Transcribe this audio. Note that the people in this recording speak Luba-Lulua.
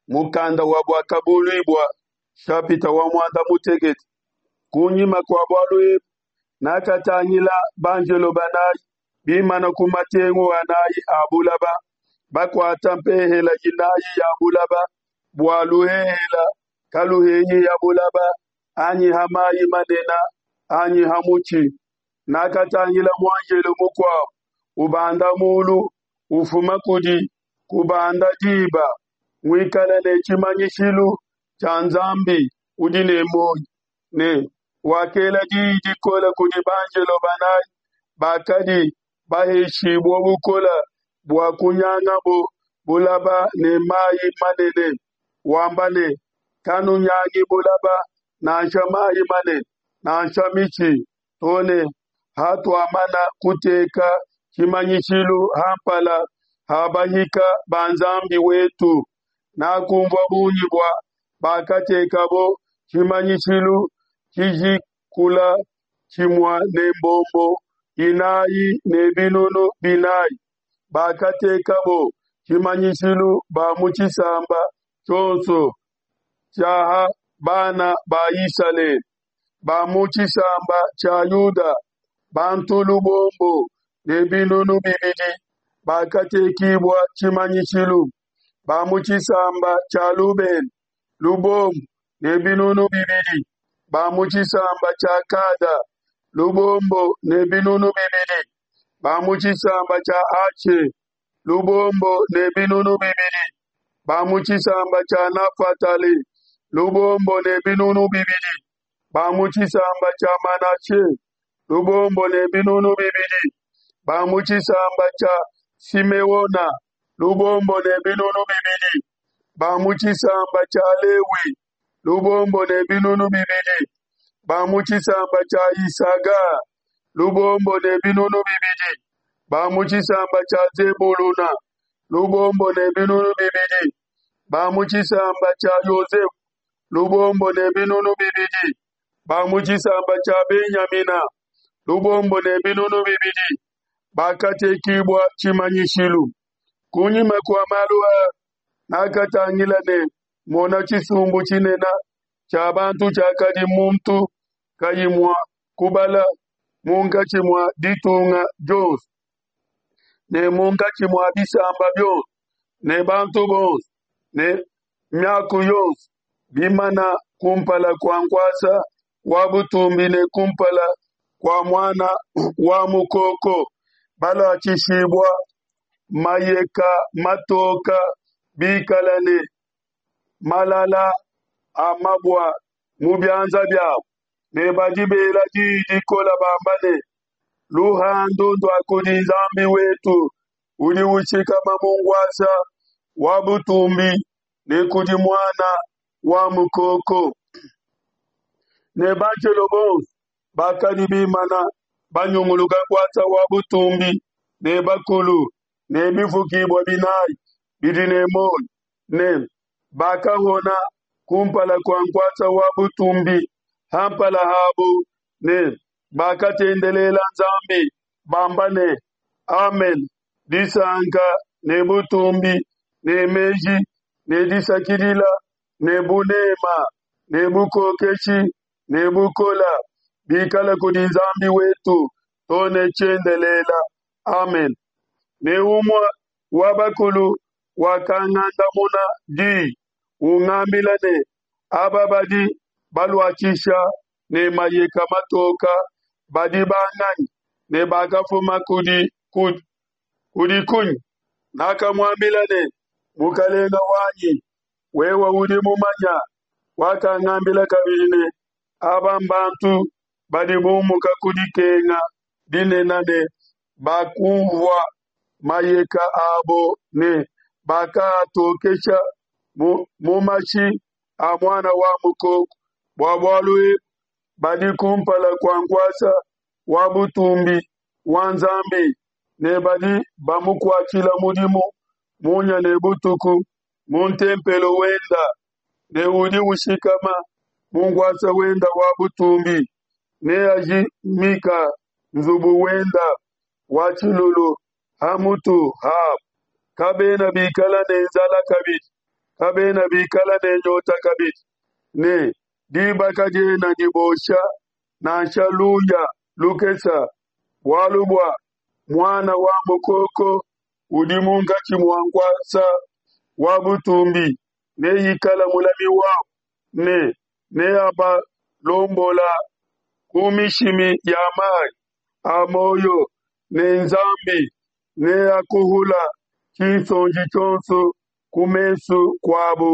Mukanda wa Buakabuluibua shapita wa muanda mutekete. Kunyima kua bualu ebu, nakatangila banjelo banayi bimana ku matengu anayi a bulaba, bakuata mpehela inayi ya bulaba, bua luhehela kaluhenyi ha bulaba, anyi ha mayi manene, anyi ha mutshi. Nakatangila muanjelo mukuabo ubanda mulu, ufuma kudi kubanda diba, muikale ne tshimanyishilu tshia Nzambi udi ne muoyo, ne wakela diyi dikole kudi banjelo banayi bakadi baheshibue bukole bua kunyangabo bulaba ne mayi manene, wamba ne: Kanunyangi bulaba, nansha mayi manene, nansha mitshi, to ne hatuamana kuteka tshimanyishilu ha mpala ha bahika ba Nzambi wetu. Nakunvua bungi bua bakatekabo tshimanyishilu tshijikula tshimue ne mbombo inayi ne binunu binayi. Bakatekabo tshimanyishilu ba mu tshisamba tshionso tshia ha bana ba Isalele, ba mu tshisamba tshia Yuda bantu lubombo ne binunu bibidi bakatekibua tshimanyishilu, ba mu tshisamba tshia Lubena lubombo ne binunu bibidi, ba mu tshisamba tshia Gada lubombo ne binunu bibidi, ba mu tshisamba tshia Ashe lubombo ne binunu bibidi, ba mu tshisamba tshia Nafatale lubombo ne binunu bibidi, ba mu tshisamba tshia Manashe lubombo ne binunu bibidi, ba mu tshisamba tshia Simeona lubombo ne binunu bibidi, ba mu tshisamba tshia Lewi lubombo ne binunu bibidi, ba mu tshisamba tshia Isaga lubombo ne binunu bibidi, ba mu tshisamba tshia Zebuluna lubombo ne binunu bibidi, ba mu tshisamba tshia Yosefe lubombo ne binunu bibidi, ba mu tshisamba tshia Benyamina lubombo ne binunu bibidi bakatekibua tshimanyishilu. Kunyima kua malu aa nakatangila ne mona tshisumbu tshinene tshia bantu tshiakadi muntu kayi mua kubala munkatshi mua ditunga dionso ne munkatshi mua bisamba bionso ne bantu bonso ne miaku yonso bimana kumpala kua nkuasa wa butumbi ne kumpala kua Muana wa Mukoko, baluatshishibua mayeka matoka, bikala ne malala a mabua mu bianza biabo, ne badi bela diyi dikole bamba ne: Luhandu ndua kudi Nzambi wetu udi ushikama mu nkuasa wa butumbi ne kudi Muana wa Mukoko. Ne banjelo bonso bakadi bimana banyunguluka nkuasa wa butumbi ne bakulu ne bifukibua binayi bidi ne muoyo, ne bakahona kumpala kua nkuasa wa butumbi ha mpala habo, ne bakatendelela Nzambi bamba ne: Amen, disanka ne butumbi ne meji ne disakidila ne bunema ne bukokeshi ne bukola bikale kudi Nzambi wetu to ne tshiendelela. Amen. Ne umue wa bakulu wakangandamuna diyi ungambila ne: Aba badi baluatshisha ne mayeka matoka badi banganyi ne bakafuma kudi kudi kunyi? Nakamuambila ne: Mukalenga wanyi, wewe udi mumanya. Wakangambila kabidi ne: Aba mbantu badi bumuka ku dikenga dinene ne bakumvua mayeka abo ne bakaatokesha mu mashi a Muana wa Mukoko. Bua bualu ebu badi kumpala kua nkuasa wa butumbi wa Nzambi ne badi bamukuatshila mudimu munya ne butuku mu ntempelo wenda, ne udi ushikama mu nkuasa wenda wa butumbi neajimika nzubu wenda wa tshilulu ha mutu habo. Kabena bikala ne nzala kabidi. Kabena bikala ne nyota kabidi, ne diba kadiena dibosha, nansha luya lukese, bualu bua Muana wa Mukoko udi munkatshi mua nkuasa wa butumbi neikale mulami wabu, ne neabalombola ku mishimi ya mayi a muoyo, ne Nzambi neakuhula tshinsonji tshionso ku mesu kuabu.